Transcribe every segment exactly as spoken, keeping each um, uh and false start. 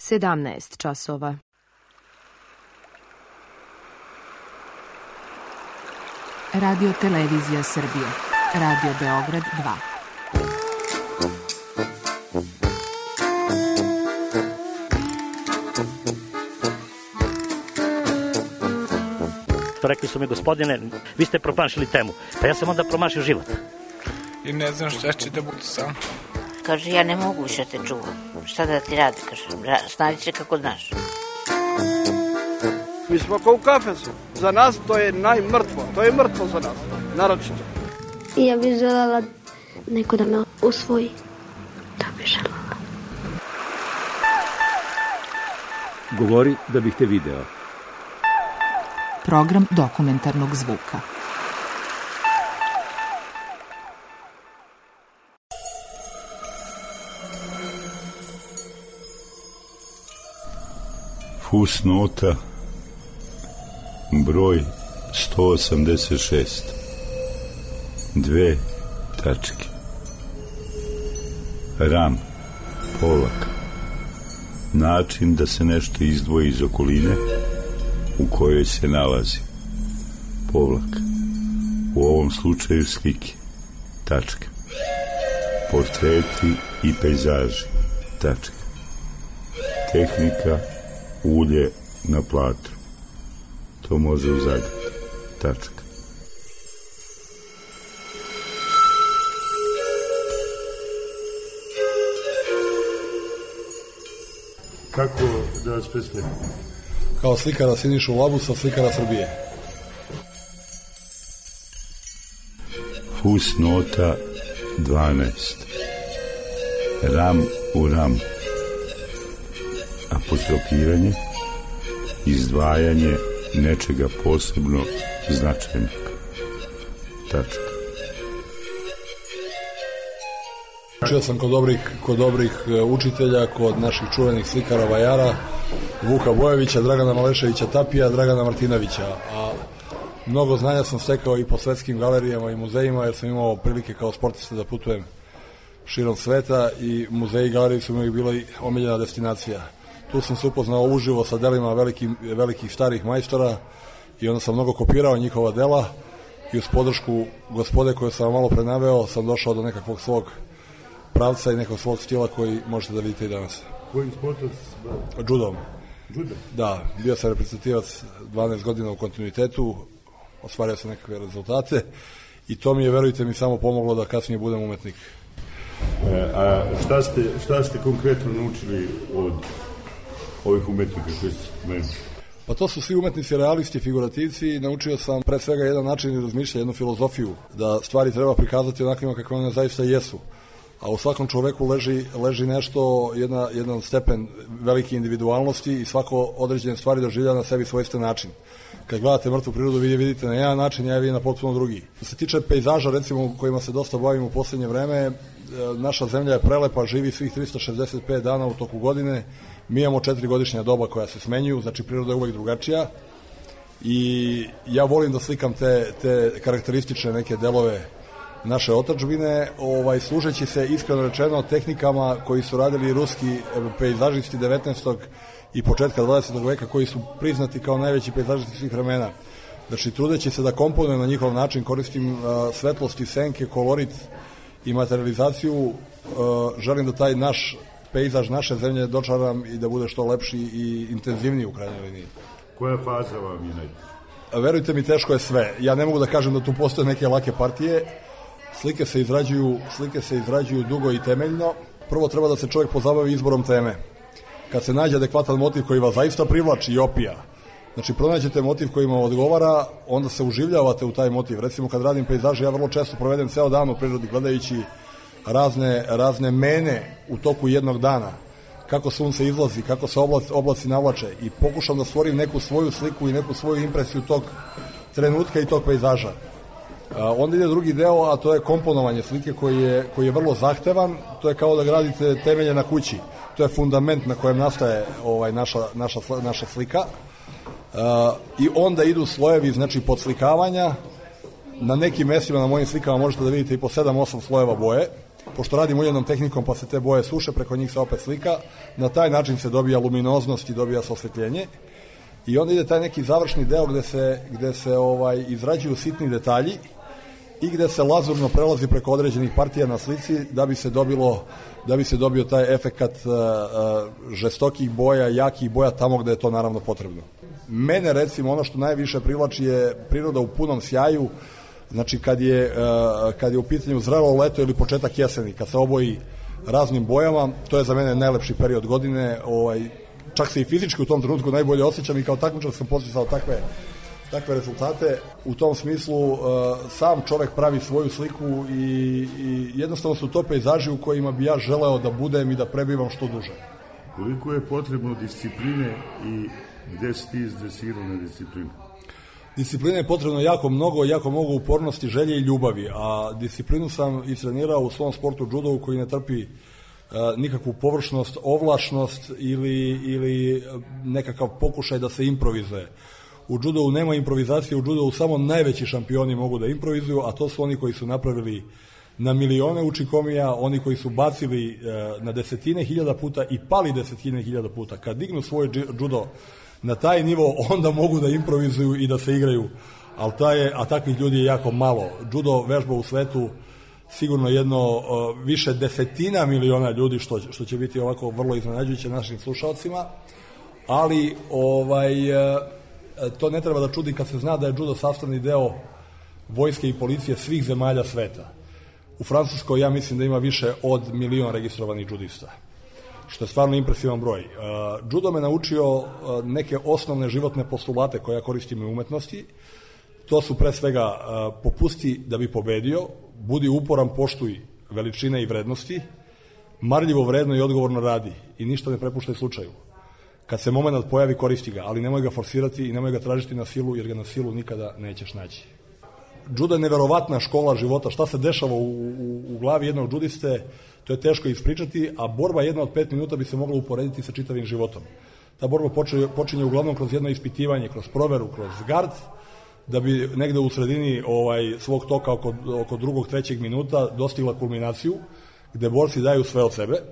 sedamnaest časova. Radio Televizija Srbije. Radio Beograd dva. Rekli su mi, gospodine, vi ste promašili temu. Pa ja sam onda promašio život. I ne znam šta će da budu sam. Kaže, ja ne mogu više te čuvam. Šta da ti radi, kaže, snađi se kako znaš. Mi smo kao u kafesu. Za nas to je najmrtvo. To je mrtvo za nas, naročito. Ja bih željela neko da me usvoji. Da bih željela. Govori da bih te video. Program dokumentarnog zvuka. Fusnota broj sto osamdeset šest. Dve tačke. Ram, polak. Način da se nešto izdvoji iz okoline u kojoj se nalazi. Povlak. U ovom slučaju slike. Tačka. Portreti i pejzaži. Tačka. Tehnika ulje na platru. To može u Zagrebu. Tačka. Kako da vas predstavim? Kao slikara Sinišu Labusa, slikara Srbije. Fusnota dvanaest. Ram u ram. Apostrofiranje, izdvajanje nečega posebno značajnog. Tačka. Učio sam kod dobrih, kod dobrih učitelja, kod naših čuvenih slikara vajara, Vuka Bojevića, Dragana Maleševića Tapija, Dragana Martinovića, a mnogo znanja sam stekao i po svetskim galerijama i muzejima, jer sam imao prilike kao sportista da putujem širom sveta i muzeji i galerije su mi bila omiljena destinacija. Tu sam se upoznao uživo sa delima velikih, velikih starih majstora i onda sam mnogo kopirao njihova dela i uz podršku gospode koju sam malo prenaveo sam došao do nekakvog svog pravca i nekog svog stila koji možete da vidite i danas. Kojim sportom? Judom. Judom? Da, bio sam reprezentativac dvanaest godina u kontinuitetu, ostvario sam nekakve rezultate i to mi je, verujte mi, samo pomoglo da kasnije budem umetnik. E, a šta ste, šta ste konkretno naučili od ovih umetnika koji ste spomenuli? Pa to su svi umetnici, realisti, figurativci i naučio sam pre svega jedan način razmišljanja, jednu filozofiju, da stvari treba prikazati onakvima kakve one zaista jesu. A u svakom čoveku leži, leži nešto, jedna, jedan stepen velike individualnosti i svako određene stvari doživlja na sebi svojstven način. Kad gledate mrtvu prirodu, vi je vidite na jedan način, ja je vidim na potpuno drugi. Što se tiče pejzaža, recimo, kojima se dosta bavimo u poslednje vreme, naša zemlja je prelepa, živi svih tristo šezdeset pet dana u toku godine. Mi imamo četiri godišnja doba koja se smenjuju, znači priroda je uvek drugačija. I ja volim da slikam te, te karakteristične neke delove naše otadžbine, ovaj, služeći se iskreno rečeno tehnikama koji su radili ruski pejzažisti devetnaestog i početka dvadesetog veka, koji su priznati kao najveći pejzažisti svih vremena. Znači, trudeći se da komponujem na njihov način, koristim uh, svetlosti, senke, kolorit i materializaciju, uh, želim da taj naš pejzaž naše zemlje dočaram i da bude što lepši i intenzivniji u krajnjoj liniji. Koja faza vam je najteža? Verujte mi, teško je sve. Ja ne mogu da kažem da tu postoje neke lake partije. Slike se izrađuju, slike se izrađuju dugo i temeljno. Prvo treba da se čovjek pozabavi izborom teme. Kad se nađe adekvatan motiv koji vas zaista privlači i opija, znači pronađete motiv koji vam odgovara, onda se uživljavate u taj motiv. Recimo kad radim pejzaže, ja vrlo često provedem ceo dan u prirodi gledajući razne, razne mene u toku jednog dana. Kako sunce izlazi, kako se oblaci, oblaci navlače i pokušam da stvorim neku svoju sliku i neku svoju impresiju tog trenutka i tog pejzaža. Onda ide drugi deo, a to je komponovanje slike koji je, koji je vrlo zahtevan. To je kao da gradite temelje na kući. To je fundament na kojem nastaje ovaj, naša, naša, naša slika. Uh, I onda idu slojevi, znači podslikavanja. Na nekim mestima na mojim slikama možete da vidite i po sedam osam slojeva boje. pošto radim uljenom tehnikom pa se te boje suše, preko njih se opet slika, na taj način se dobija luminoznost i dobija se osvetljenje. I onda ide taj neki završni deo gde se, gde se ovaj, izrađuju sitni detalji i gde se lazurno prelazi preko određenih partija na slici da bi se dobilo, da bi se dobio taj efekat uh, uh, žestokih boja, jakih boja tamo gde je to naravno potrebno. Mene recimo ono što najviše privlači je priroda u punom sjaju, znači kad je, uh, kad je u pitanju zrelo leto ili početak jeseni, kad se oboji raznim bojama, to je za mene najlepši period godine, ovaj, čak se i fizički u tom trenutku najbolje osjećam i kao takmičar sam posjećao takve, takve rezultate. U tom smislu uh, sam čovek pravi svoju sliku i, i jednostavno su to pejzaži u kojima bi ja želeo da budem i da prebivam što duže. Koliko je potrebno discipline i gde si ti izdresirao na disciplinu? Discipline je potrebno jako mnogo, jako mnogo upornosti, želje i ljubavi, a disciplinu sam istrenirao u svom sportu judovu koji ne trpi uh, nikakvu površnost, ovlašnost ili, ili nekakav pokušaj da se improvizuje. U judovu nema improvizacije, u judovu samo najveći šampioni mogu da improvizuju, a to su oni koji su napravili na milione učikomija, oni koji su bacili uh, na desetine hiljada puta i pali desetine hiljada puta. Kad dignu svoj judo na taj nivo, onda mogu da improvizuju i da se igraju, ali taj, a takvih ljudi je jako malo. Judo vežba u svetu sigurno jedno uh, više desetina miliona ljudi, što, što će biti ovako vrlo iznenađujuće našim slušalcima, ali ovaj, uh, to ne treba da čudi kad se zna da je judo sastavni deo vojske i policije svih zemalja sveta. U Francuskoj ja mislim da ima više od milion registrovanih judista, što je stvarno impresivan broj. Uh, judo me naučio uh, neke osnovne životne postulate koje ja koristim u umetnosti. To su pre svega uh, popusti da bi pobedio, budi uporan, poštuj veličine i vrednosti, marljivo, vredno i odgovorno radi i ništa ne prepuštaj slučaju. Kad se moment pojavi, koristi ga, ali nemoj ga forsirati i nemoj ga tražiti na silu, jer ga na silu nikada nećeš naći. Judo je neverovatna škola života. Šta se dešava u, u, u glavi jednog judiste, to je teško ispričati, a borba jedna od pet minuta bi se mogla uporediti sa čitavim životom. Ta borba počinje, počinje uglavnom kroz jedno ispitivanje, kroz proveru, kroz gard, da bi negde u sredini ovaj, svog toka oko, oko drugog, trećeg minuta dostigla kulminaciju, gde borci daju sve od sebe.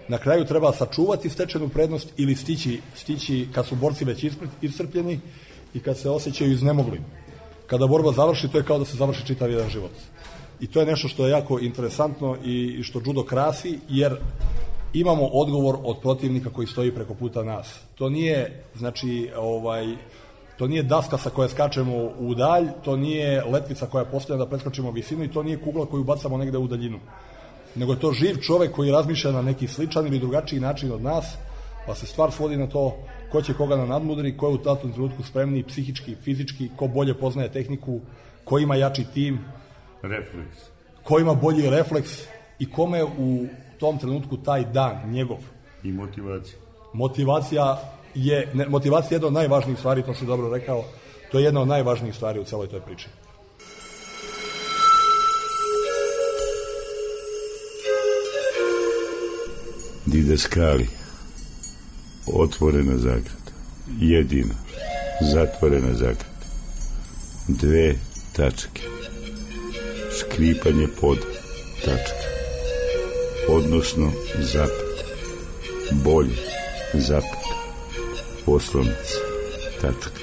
Na kraju treba sačuvati stečenu prednost ili stići, stići kad su borci već iscrpljeni i kad se osjećaju iznemoglim. Kada borba završi, to je kao da se završi čitav jedan život. I to je nešto što je jako interesantno i što judo krasi, jer imamo odgovor od protivnika koji stoji preko puta nas. To nije, znači, ovaj, to nije daska sa koje skačemo u dalj, to nije letvica koja postavlja da preskočimo visinu i to nije kugla koju bacamo negde u daljinu. Nego je to živ čovek koji razmišlja na neki sličan ili drugačiji način od nas, pa se stvar svodi na to ko će koga na nadmudri, ko je u tatom trenutku spremniji psihički, fizički, ko bolje poznaje tehniku, ko ima jači tim, refleks, ko ima bolji refleks i kome u tom trenutku taj dan njegov. I motivacija. Motivacija je, ne, motivacija je jedna od najvažnijih stvari, to si dobro rekao, to je jedna od najvažnijih stvari u celoj toj priči. Dideskali, otvorena zagrada, jedina, zatvorena zagrada, dve tačke, škripanje pod tačke, odnosno zapet, bolje, zapet, poslovnica, tačka.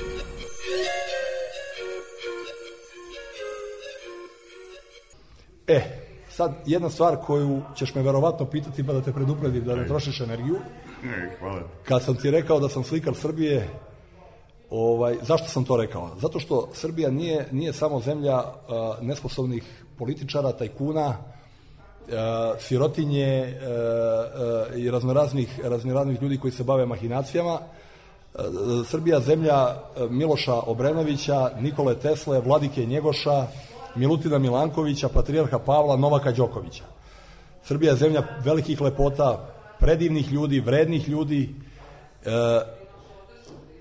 E, sad jedna stvar koju ćeš me verovatno pitati pa da te predupredim da ne trošiš energiju. Ne, hvala. Kad sam ti rekao da sam slikar Srbije, ovaj, zašto sam to rekao? Zato što Srbija nije, nije samo zemlja uh, nesposobnih političara, tajkuna, uh, sirotinje uh, uh, i raznoraznih, raznoraznih ljudi koji se bave mahinacijama. Uh, Srbija zemlja Miloša Obrenovića, Nikole Tesle, Vladike Njegoša, Milutina Milankovića, Patrijarha Pavla, Novaka Đokovića. Srbija je zemlja velikih lepota, predivnih ljudi, vrednih ljudi e,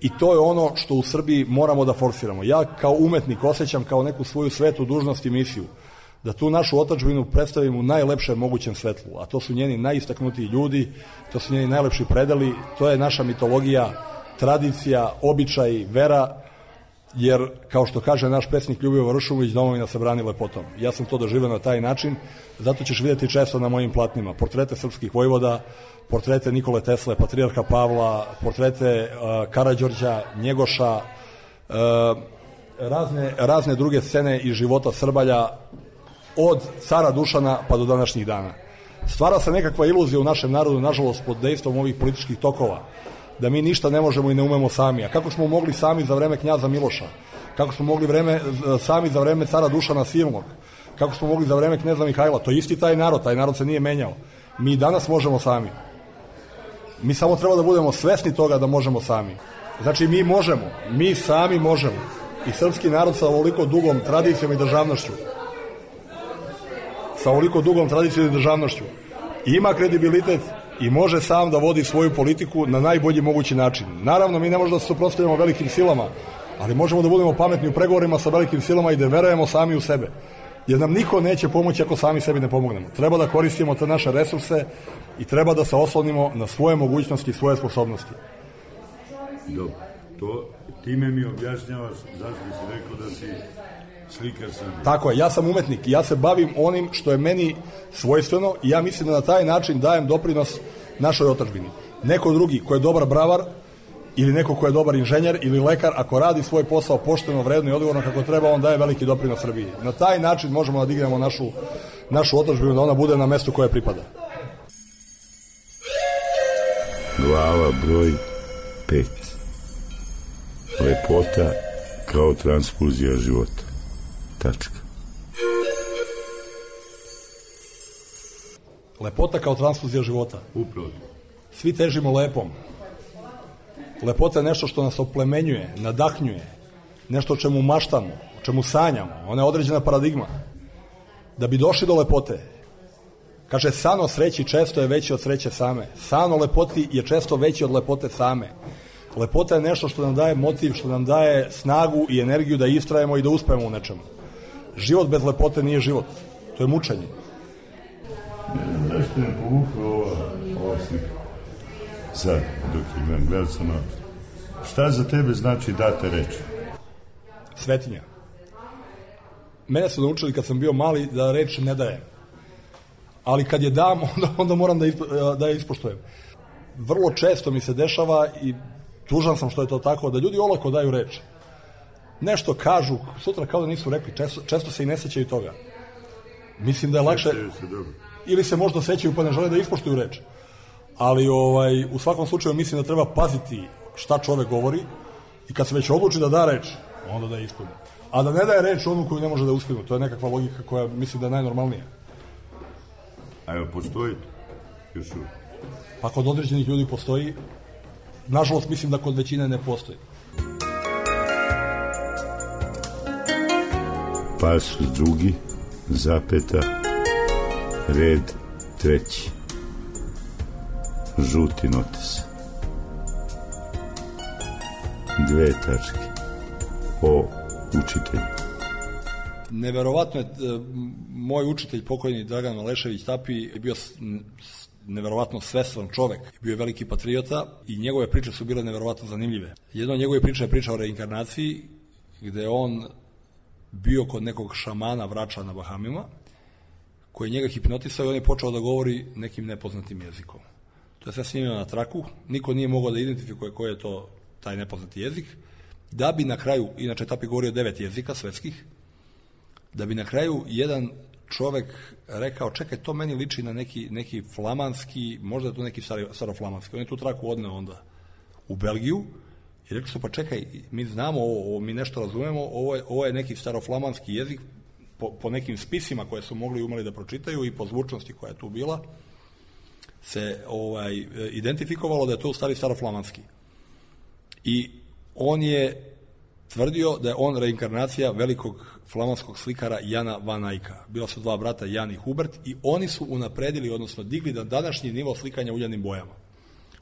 i to je ono što u Srbiji moramo da forsiramo. Ja kao umetnik osjećam kao neku svoju svetu dužnost i misiju da tu našu otadžbinu predstavim u najlepšem mogućem svetlu, a to su njeni najistaknutiji ljudi, to su njeni najlepši predeli, to je naša mitologija, tradicija, običaj, vera jer, kao što kaže naš predsjednik Ljubivoje Vršumović, domovina se brani lepotom. Ja sam to doživio na taj način, zato ćeš vidjeti često na mojim platnima portrete srpskih vojvoda, portrete Nikole Tesle, patrijarha Pavla, portrete uh, Karađorđa, Njegoša, uh, razne, razne druge scene iz života Srbalja, od cara Dušana pa do današnjih dana. Stvara se nekakva iluzija u našem narodu, nažalost, pod dejstvom ovih političkih tokova, da mi ništa ne možemo i ne umemo sami. A kako smo mogli sami za vreme knjaza Miloša? Kako smo mogli vreme, sami za vreme cara Dušana Silnog? Kako smo mogli za vreme kneza Mihajla? To je isti taj narod, taj narod se nije menjao. Mi danas možemo sami. Mi samo treba da budemo svesni toga da možemo sami. Znači, mi možemo, mi sami možemo. I srpski narod sa ovoliko dugom tradicijom i državnošću, sa ovoliko dugom tradicijom i državnošću, ima kredibilitet i može sam da vodi svoju politiku na najbolji mogući način. Naravno, mi ne možemo da se suprotstavljamo velikim silama, ali možemo da budemo pametni u pregovorima sa velikim silama i da verujemo sami u sebe. Jer nam niko neće pomoći ako sami sebi ne pomognemo. Treba da koristimo te naše resurse i treba da se oslonimo na svoje mogućnosti i svoje sposobnosti. Dobro, to time mi objašnjavaš zašto si rekao da si slikar Srbije. Tako je, ja sam umetnik i ja se bavim onim što je meni svojstveno i ja mislim da na taj način dajem doprinos našoj otadžbini. Neko drugi ko je dobar bravar ili neko ko je dobar inženjer ili lekar, ako radi svoj posao pošteno, vredno i odgovorno kako treba, on daje veliki doprinos Srbiji. Na taj način možemo da dignemo našu, našu otadžbinu, da ona bude na mestu koje pripada. Glava broj pet. Lepota kao transfuzija života. Tačka. Lepota kao transfuzija života. Upravo. Svi težimo lepom. Lepota je nešto što nas oplemenjuje, nadahnjuje, nešto o čemu maštamo, o čemu sanjamo. Ona je određena paradigma. Da bi došli do lepote, kaže, san o sreći često je veći od sreće same. San o lepoti je često veći od lepote same. Lepota je nešto što nam daje motiv, što nam daje snagu i energiju da istrajemo i da uspemo u nečemu. Život bez lepote nije život. To je mučenje. Zašto ne povukla ova, ova slika? Sad, dok imam, gledal sam na... Šta za tebe znači date reči? Svetinja. Mene su naučili kad sam bio mali da reč ne dajem. Ali kad je dam, onda, onda moram da, ispo, da je ispoštujem. Vrlo često mi se dešava i tužan sam što je to tako, da ljudi olako daju reč. Nešto kažu, sutra kao da nisu rekli, često, često se i ne sećaju toga. Mislim da je lakše... Ili se možda sećaju pa ne žele da ispoštuju reč. Ali ovaj, u svakom slučaju mislim da treba paziti šta čovek govori i kad se već odluči da da reč, onda da je ispuni. A da ne daje reč onu koju ne može da uspinu. To je nekakva logika koja mislim da je najnormalnija. A evo, postoji to? Još uvijek. Pa kod određenih ljudi postoji. Nažalost, mislim da kod većine ne postoji. Pasus drugi, zapeta, red treći. Žuti notis. Dve tačke. O učitelju. Neverovatno je, moj učitelj, pokojni Dragan Malešević Tapi, je bio neverovatno svestran čovek. Bio je veliki patriota i njegove priče su bile neverovatno zanimljive. Jedna od njegove priče je priča o reinkarnaciji, gde je on bio kod nekog šamana vrača na Bahamima, koji je njega hipnotisao i on je počeo da govori nekim nepoznatim jezikom. To je sve snimljeno na traku, niko nije mogao da identifikuje koji je to taj nepoznati jezik, da bi na kraju, inače Tapi govorio devet jezika svetskih, da bi na kraju jedan čovek rekao, čekaj, to meni liči na neki, neki flamanski, možda je to neki staro, staroflamanski. On je tu traku odneo onda u Belgiju i rekli su, pa čekaj, mi znamo ovo, ovo mi nešto razumemo, ovo je, ovo je neki staroflamanski jezik, po, po nekim spisima koje su mogli i umeli da pročitaju i po zvučnosti koja je tu bila, se ovaj, identifikovalo da je to u stvari staroflamanski. I on je tvrdio da je on reinkarnacija velikog flamanskog slikara Jana van Eycka. Bila su dva brata, Jan i Hubert, i oni su unapredili, odnosno digli na današnji nivo slikanja uljanim bojama.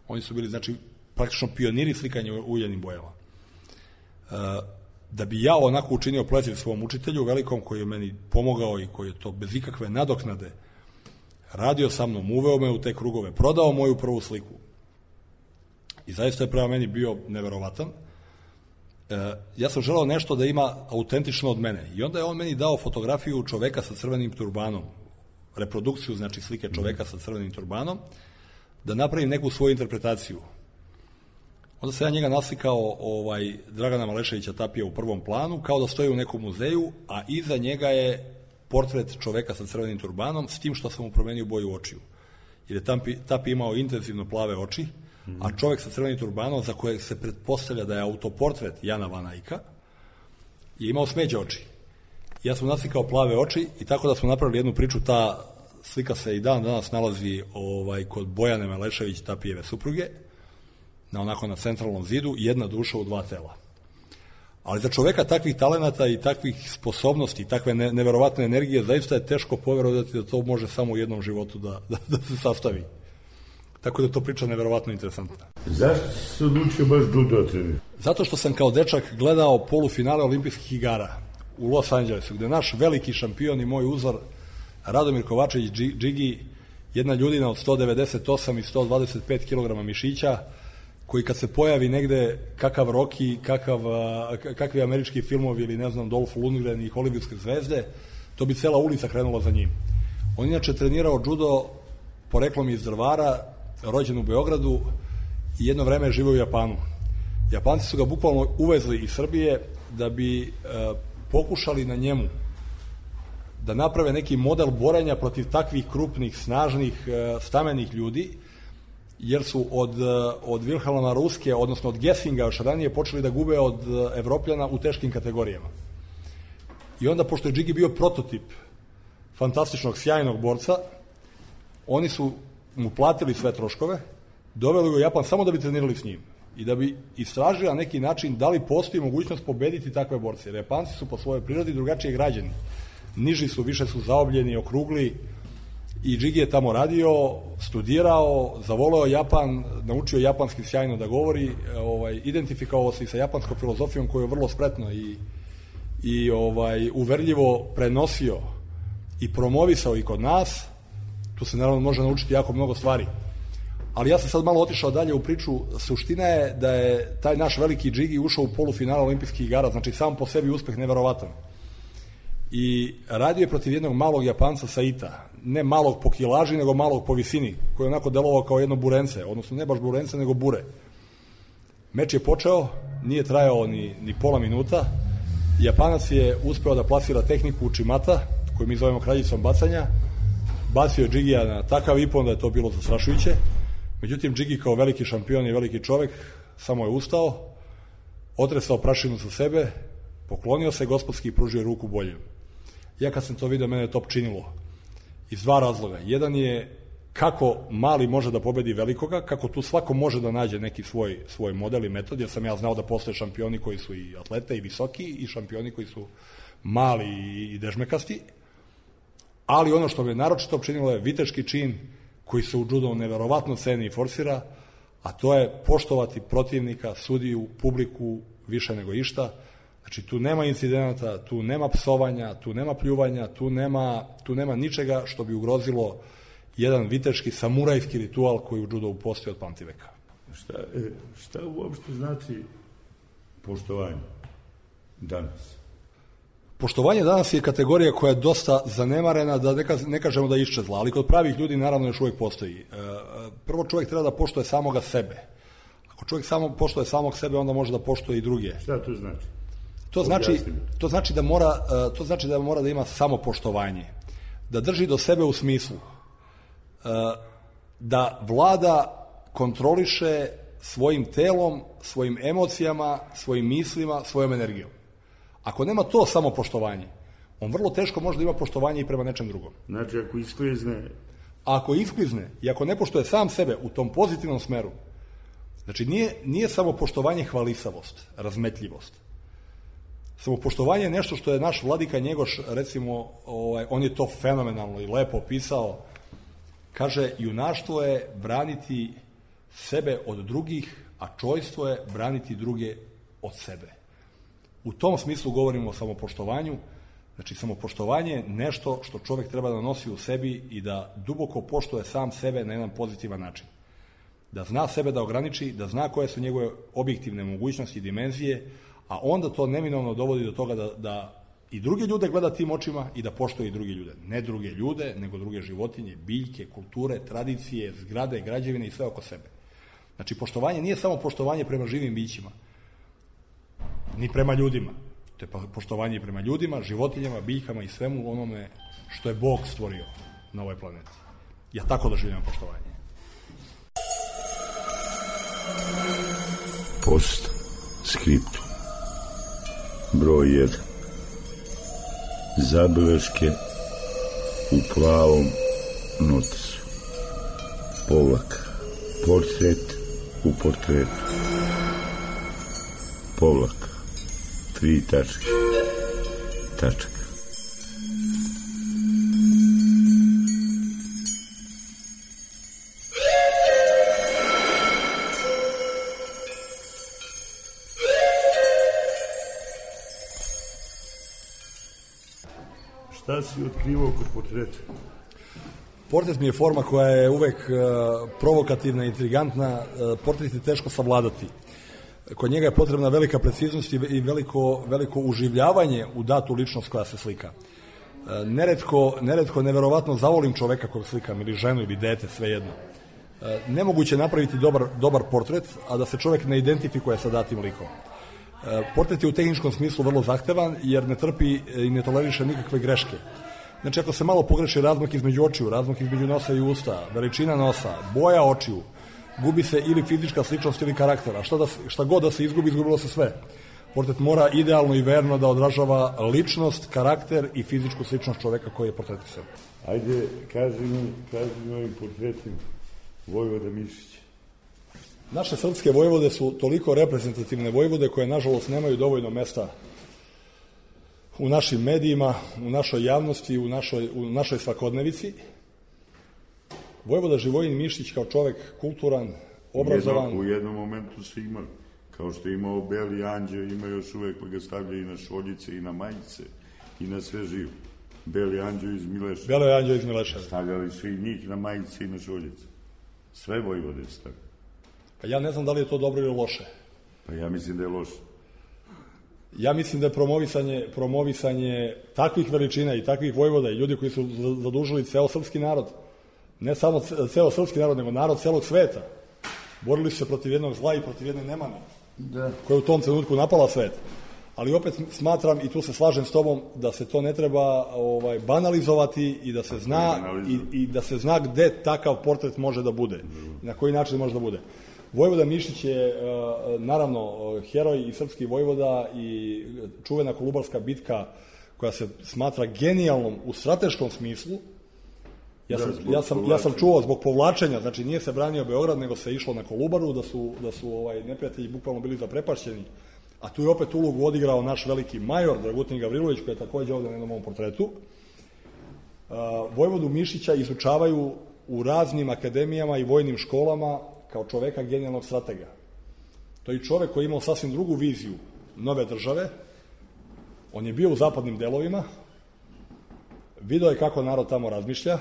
Oni su bili, znači, praktično pioniri slikanja uljanim bojama. E, da bi ja onako učinio pleziv svom učitelju, velikom, koji je meni pomogao i koji je to bez ikakve nadoknade radio sa mnom, uveo me u te krugove, prodao moju prvu sliku. I zaista je prema meni bio neverovatan. E, ja sam želeo nešto da ima autentično od mene. I onda je on meni dao fotografiju čoveka sa crvenim turbanom, reprodukciju, znači slike čoveka sa crvenim turbanom, da napravim neku svoju interpretaciju. Onda sam ja njega naslikao ovaj, Dragana Maleševića Tapija u prvom planu, kao da stoji u nekom muzeju, a iza njega je portret čoveka sa crvenim turbanom, s tim što sam mu promenio boju očiju. Jer je Tapi, Tapi imao intenzivno plave oči, a čovek sa crvenim turbanom, za kojeg se pretpostavlja da je autoportret Jana Van Eycka, je imao smeđe oči. Ja sam naslikao plave oči i tako da smo napravili jednu priču. Ta slika se i dan danas nalazi ovaj, kod Bojane Malešević, Tapijeve supruge, na onako na centralnom zidu, jedna duša u dva tela. Ali za čoveka takvih talenata i takvih sposobnosti, takve ne, neverovatne energije, zaista je teško poverovati da to može samo u jednom životu da, da, da se sastavi. Tako da je to priča neverovatno interesantna. Zašto si se odlučio baš judo trenirati? Zato što sam kao dečak gledao polufinale olimpijskih igara u Los Angelesu, gde naš veliki šampion i moj uzor Radomir Kovačević Džigi, jedna ljudina od sto devedeset osam i sto dvadeset pet kilograma mišića, koji kad se pojavi negde kakav Rocky, kakav, kakvi američki filmovi ili ne znam Dolph Lundgren i hollywoodske zvezde, to bi cela ulica krenula za njim. On inače trenirao judo poreklom iz Drvara, rođen u Beogradu i jedno vreme je živeo u Japanu. Japanci su ga bukvalno uvezli iz Srbije da bi e, pokušali na njemu da naprave neki model borenja protiv takvih krupnih, snažnih, e, stamenih ljudi, jer su od, od Wilhelma Ruske, odnosno od Gessinga još ranije počeli da gube od Evropljana u teškim kategorijama. I onda, pošto je Džigi bio prototip fantastičnog, sjajnog borca, oni su mu platili sve troškove, doveli ga u Japan samo da bi trenirali s njim i da bi istražili na neki način da li postoji mogućnost pobediti takve borce. Jer Japanci su po svojoj prirodi drugačije građeni. Niži su, više su zaobljeni, okrugli, i Džigi je tamo radio, studirao, zavoleo Japan, naučio japanski sjajno da govori, ovaj, identifikovao se i sa japanskom filozofijom koju je vrlo spretno i, i ovaj, uverljivo prenosio i promovisao i kod nas. Tu se naravno može naučiti jako mnogo stvari. Ali ja sam sad malo otišao dalje u priču. Suština je da je taj naš veliki Džigi ušao u polufinale olimpijskih igara, znači sam po sebi uspeh neverovatan. I radio je protiv jednog malog Japanca Saita, ne malog po kilaži, nego malog po visini, koji je onako delovao kao jedno burence, odnosno ne baš burence, nego bure. Meč je počeo, nije trajao ni, ni pola minuta, Japanac je uspeo da plasira tehniku Uchimata, koju mi zovemo kraljicom bacanja, bacio je Džigija na takav ipon da je to bilo zastrašujuće, međutim Džigi kao veliki šampion i veliki čovek samo je ustao, otresao prašinu sa sebe, poklonio se gospodski i pružio ruku boljem. Ja kad sam to vidio, mene je to činilo iz dva razloga. Jedan je kako mali može da pobedi velikoga, kako tu svako može da nađe neki svoj, svoj model i metod, jer sam ja znao da postoje šampioni koji su i atlete i visoki i šampioni koji su mali i dežmekasti, ali ono što me naročito činilo je viteški čin koji se u judu neverovatno ceni i forsira, a to je poštovati protivnika, sudiju, publiku više nego išta. Znači, tu nema incidenata, tu nema psovanja, tu nema pljuvanja, tu nema, tu nema ničega što bi ugrozilo jedan viteški, samurajski ritual koji u judu postoji od pamtiveka. Šta, šta uopšte znači poštovanje danas? Poštovanje danas je kategorija koja je dosta zanemarena, da ne, ne kažemo da je iščezla, ali kod pravih ljudi naravno još uvijek postoji. Prvo, čovjek treba da poštuje samoga sebe. Ako čovjek samo poštuje samog sebe, onda može da poštuje i druge. Šta to znači? To znači, to znači da mora, to znači da mora da ima samopoštovanje, da drži do sebe u smislu da vlada, kontroliše svojim telom, svojim emocijama, svojim mislima, svojom energijom. Ako nema to samopoštovanje, on vrlo teško može da ima poštovanje i prema nečem drugom. Znači, ako isklizne... Ako isklizne i ako ne poštuje sam sebe u tom pozitivnom smeru, znači nije, nije samopoštovanje hvalisavost, razmetljivost. Samopoštovanje je nešto što je naš vladika Njegoš, recimo, ovaj, on je to fenomenalno i lepo opisao. Kaže, junaštvo je braniti sebe od drugih, a čojstvo je braniti druge od sebe. U tom smislu govorimo o samopoštovanju. Znači, samopoštovanje je nešto što čovjek treba da nosi u sebi i da duboko poštuje sam sebe na jedan pozitivan način. Da zna sebe da ograniči, da zna koje su njegove objektivne mogućnosti i dimenzije, a onda to neminovno dovodi do toga da, da i druge ljude gleda tim očima i da poštuje i druge ljude. Ne druge ljude, nego druge životinje, biljke, kulture, tradicije, zgrade, građevine i sve oko sebe. Znači, poštovanje nije samo poštovanje prema živim bićima, ni prema ljudima. To je poštovanje prema ljudima, životinjama, biljkama i svemu onome što je Bog stvorio na ovoj planeti. Ja tako doživljam poštovanje. Post skriptum. Broj jedan. Zabeleške u plavom notisu. Povlaka. Portret u portretu. Povlaka. Tri tačke. Tačka. Šta si otkrivao kod portreta? Portret mi je forma koja je uvek uh, provokativna, intrigantna. Uh, portret je teško savladati. Kod njega je potrebna velika preciznost i veliko, veliko uživljavanje u datu ličnost koja se slika. Uh, neretko, neretko neverovatno zavolim čoveka kog slikam, ili ženu, ili dete, svejedno. Uh, nemoguće napraviti dobar, dobar portret, a da se čovek ne identifikuje sa datim likom. Portret je u tehničkom smislu vrlo zahtevan, jer ne trpi i ne toleriše nikakve greške. Znači, ako se malo pogreši razmak između očiju, razmak između nosa i usta, veličina nosa, boja očiju, gubi se ili fizička sličnost ili karaktera. Šta, da, šta god da se izgubi, izgubilo se sve. Portret mora idealno i verno da odražava ličnost, karakter i fizičku sličnost čoveka koji je portretisan. Ajde, kaži mi, kaži mi ovim portretima Vojvoda Mišića. Naše srpske vojvode su toliko reprezentativne vojvode koje, nažalost, nemaju dovoljno mesta u našim medijima, u našoj javnosti, u našoj, u našoj svakodnevici. Vojvoda Živojin Mišić kao čovek kulturan, obrazovan... U jednom, u jednom momentu su imali, kao što je imao Beli anđeo, ima još uvek pa ga stavljaju i na šoljice i na majice i na sve živo. Beli anđeo iz Mileša. Beli anđeo iz Mileša. Stavljali su i njih na majice i na šoljice. Sve vojvode stavljaju. Pa ja ne znam da li je to dobro ili loše. Pa ja mislim da je loše. Ja mislim da je promovisanje, promovisanje takvih veličina i takvih vojvoda i ljudi koji su zadužili ceo srpski narod, ne samo ceo srpski narod, nego narod celog sveta, borili su se protiv jednog zla i protiv jedne nemane, da, koja je u tom trenutku napala svet. Ali opet smatram, i tu se slažem s tobom, da se to ne treba ovaj, banalizovati i da se zna i, i da se zna gde takav portret može da bude, na koji način može da bude. Vojvoda Mišić je, naravno, heroj i srpski vojvoda i čuvena Kolubarska bitka koja se smatra genijalnom u strateškom smislu. Ja sam, ja sam, ja sam čuo zbog povlačenja, znači nije se branio Beograd, nego se išlo na Kolubaru, da su, da su ovaj, neprijatelji bukvalno bili zaprepašćeni. A tu je opet ulogu odigrao naš veliki major, Dragutin Gavrilović, koji je takođe ovde na jednom ovom portretu. Vojvodu Mišića izučavaju u raznim akademijama i vojnim školama kao čoveka genijalnog stratega. To je čovek koji je imao sasvim drugu viziju nove države. On je bio u zapadnim delovima, video je kako narod tamo razmišlja,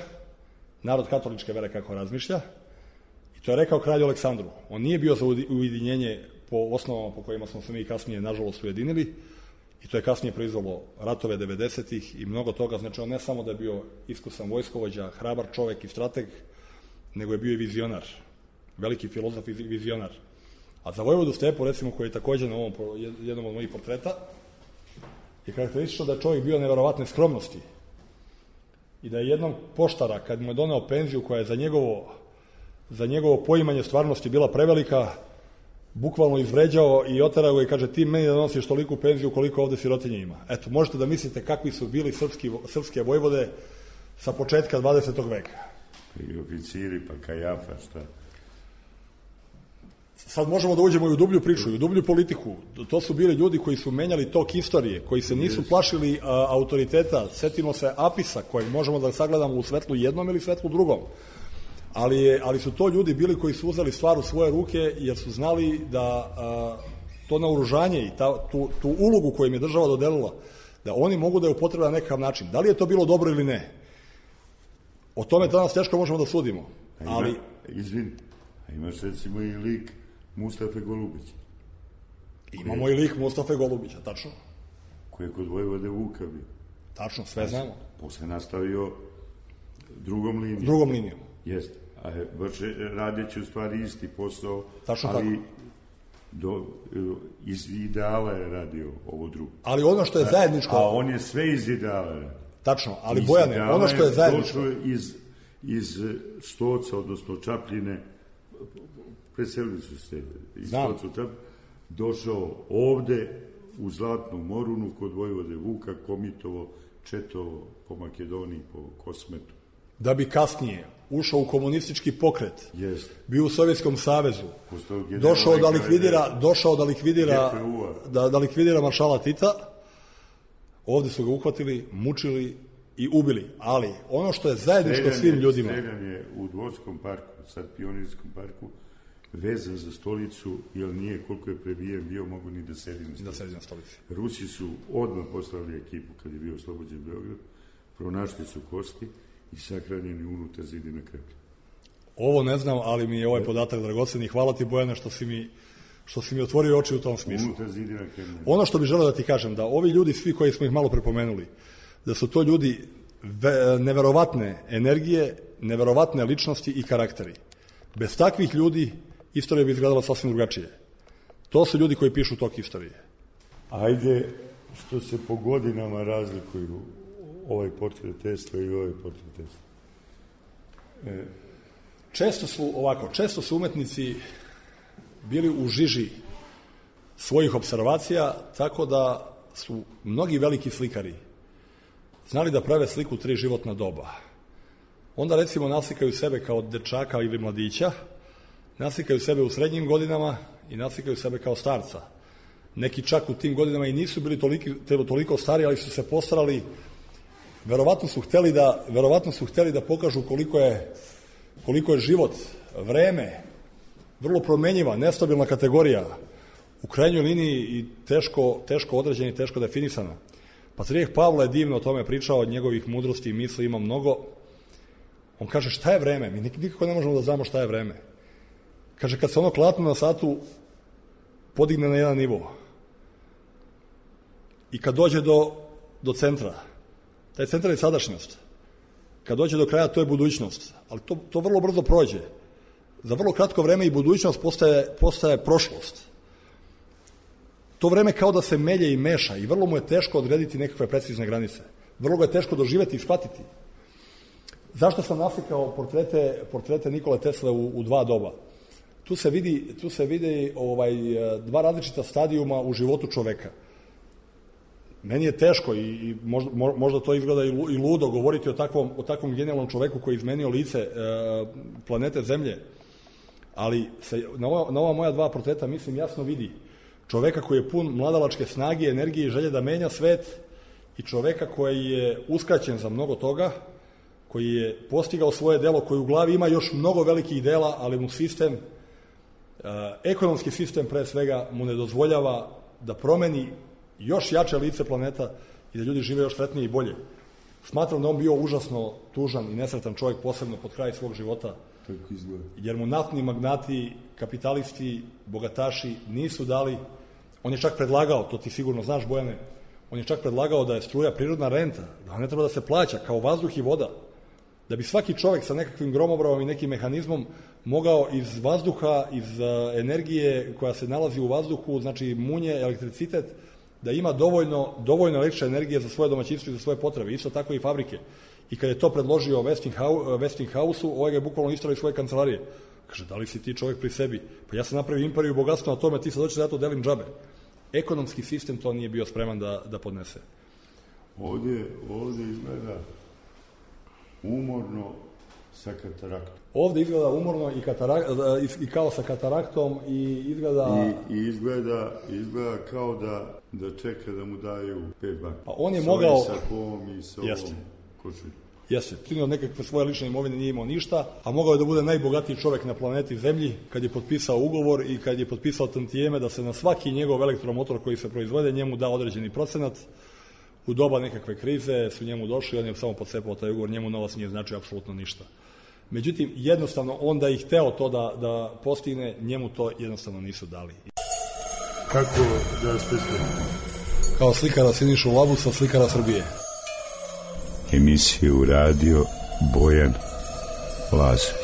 narod katoličke vere kako razmišlja, i to je rekao kralju Aleksandru. On nije bio za ujedinjenje po osnovama po kojima smo se mi kasnije, nažalost, ujedinili, i to je kasnije proizvalo ratove devedesetih i mnogo toga. Znači, on ne samo da je bio iskusan vojskovođa, hrabar čovek i strateg, nego je bio i vizionar, veliki filozof i vizionar. A za Vojvodu Stepu, recimo, koji je takođe na ovom jednom od mojih portreta, je karakteristično da je čovjek bio neverovatne skromnosti i da je jednom poštara, kad mu je doneo penziju koja je za njegovo, za njegovo poimanje stvarnosti bila prevelika, bukvalno izvređao i oterao ga i kaže: ti meni da nosiš toliku penziju koliko ovde sirotinje ima. Eto, možete da mislite kakvi su bili srpski, srpske vojvode sa početka dvadesetog veka. I oficiri, pa Kajafa, šta? Sad možemo da uđemo i u dublju priču, i u dublju politiku. To su bili ljudi koji su menjali tok istorije, koji se nisu plašili a, autoriteta. Setimo se Apisa, kojeg možemo da sagledamo u svetlu jednom ili svetlu drugom. Ali, je, ali su to ljudi bili koji su uzeli stvar u svoje ruke, jer su znali da a, to naoružanje i ta, tu, tu ulogu koju im je država dodelila, da oni mogu da je upotrebe na nekakav način. Da li je to bilo dobro ili ne? O tome danas teško možemo da sudimo. Ali... Ima, izvin, a imaš recimo i lik Mustafe Golubića. Imamo i lik Mustafe Golubića, tačno. Koji je kod Vojvode Vuka bio. Tačno, sve znamo. Posle nastavio drugom linijom. Drugom linijom. Jeste. A vrše, radeći u stvari isti posao, tačno ali tako. Do, iz ideala je radio ovo drugo. Ali ono što je zajedničko... A on je sve iz ideala radio. Tačno, ali iz Bojane, ono što je zajedničko... Došao iz, iz Stoca, odnosno Čapljine, preselili su se iz Znam. Stoca u Čapljine, došao ovde u Zlatnu Morunu kod Vojvode Vuka, komitovo, četovo po Makedoniji, po Kosmetu. Da bi kasnije ušao u komunistički pokret, Jest. bio u Sovjetskom savezu, došao da likvidira, došao da likvidira, da, da likvidira maršala Tita, ovde su ga uhvatili, mučili i ubili. Ali ono što je zajedničko Streljan svim je, ljudima... Streljan je u Dvorskom parku, sad Pionirskom parku, vezan za stolicu, jer nije koliko je prebijen bio, mogu ni da sedi na stolici. Da sedi na stolici. Rusi su odmah poslali ekipu kad je bio oslobođen Beograd, pronašli su kosti i sahranjeni unutar zidina Kremlja. Ovo ne znam, ali mi je ovaj podatak dragocen i hvala ti, Bojane, što si mi, što si mi otvorio oči u tom smislu. Unutar zidina Kremlja. Ono što bih želeo da ti kažem, da ovi ljudi, svi koji smo ih malo prepomenuli, da su to ljudi ve, neverovatne energije, neverovatne ličnosti i karakteri. Bez takvih ljudi istorija bi izgledala sasvim drugačije. To su ljudi koji pišu tok istorije. Ajde, što se po godinama razlikuju ovaj portret Tesla i ovaj portret Tesla. E, često su, ovako, često su umetnici bili u žiži svojih observacija, tako da su mnogi veliki slikari znali da prave sliku tri životna doba. Onda, recimo, naslikaju sebe kao dečaka ili mladića, naslikaju sebe u srednjim godinama i naslikaju sebe kao starca. Neki čak u tim godinama i nisu bili toliko, toliko stari, ali su se postarali. Verovatno su hteli da, verovatno su hteli da pokažu koliko je, koliko je život, vreme, vrlo promenjiva, nestabilna kategorija, u krajnjoj liniji i teško, teško određena i teško definisana. Patrijarh Pavle je divno o tome pričao, od njegovih mudrosti i misli ima mnogo. On kaže, šta je vreme? Mi nikako ne možemo da znamo šta je vreme. Kaže, kad se ono klatno na satu podigne na jedan nivo i kad dođe do, do centra, taj centar je sadašnjost. Kad dođe do kraja, to je budućnost. Ali to, to vrlo brzo prođe. Za vrlo kratko vreme i budućnost postaje, postaje prošlost. To vreme kao da se melje i meša i vrlo mu je teško odrediti nekakve precizne granice. Vrlo ga je teško doživeti i shvatiti. Zašto sam naslikao portrete, portrete Nikole Tesle u, u dva doba? Tu se vidi, tu se vidi ovaj, dva različita stadijuma u životu čoveka. Meni je teško i, i možda, možda to izgleda i ludo govoriti o takvom, o takvom genijalnom čoveku koji je izmenio lice e, planete Zemlje, ali se, na, ova, na ova moja dva portreta mislim jasno vidi čoveka koji je pun mladalačke snage, energije i želje da menja svet i čoveka koji je uskraćen za mnogo toga, koji je postigao svoje delo, koji u glavi ima još mnogo velikih dela, ali mu sistem, e, ekonomski sistem pre svega, mu ne dozvoljava da promeni još jače lice planeta i da ljudi žive još sretnije i bolje. Smatram da on bio užasno tužan i nesretan čovjek, posebno pod kraj svog života, jer mu naftni magnati, kapitalisti, bogataši nisu dali, on je čak predlagao, to ti sigurno znaš, Bojane, on je čak predlagao da je struja prirodna renta, da ne treba da se plaća kao vazduh i voda, da bi svaki čovjek sa nekakvim gromobravom i nekim mehanizmom mogao iz vazduha, iz energije koja se nalazi u vazduhu, znači munje, elektricitet, da ima dovoljno, dovoljno električne energije za svoje domaćinstvo i za svoje potrebe, isto tako i fabrike. I kad je to predložio Westinghouse-u, ovaj ga je bukvalno istrao iz svoje kancelarije. Kaže, da li si ti čovjek pri sebi? Pa ja sam napravio imperiju bogatstva na tome, ti sad hoćeš da ja to delim džabe. Ekonomski sistem to nije bio spreman da, da podnese. Ovdje, ovdje izgleda umorno sa kataraktom. Ovdje izgleda umorno i, katarak, i kao sa kataraktom i izgleda... I, i izgleda, izgleda kao da, da čeka da mu daju pet banka. Pa on je mogao... sa kom i sa ovom košuljom. Jeste, primio nekakve svoje lične imovine, nije imao ništa, a mogao je da bude najbogatiji čovjek na planeti Zemlji kad je potpisao ugovor i kad je potpisao tantijeme da se na svaki njegov elektromotor koji se proizvode njemu da određeni procenat. U doba nekakve krize su njemu došli, on je samo podsepao taj ugovor, njemu novac nije značio apsolutno ništa. Međutim, jednostavno, onda je hteo to da, da postigne, njemu to jednostavno nisu dali. Kako da vas predstavim? Kao slikara Sinišu Labusa, slikara Srbije. Emisiju radio Bojan Lazović.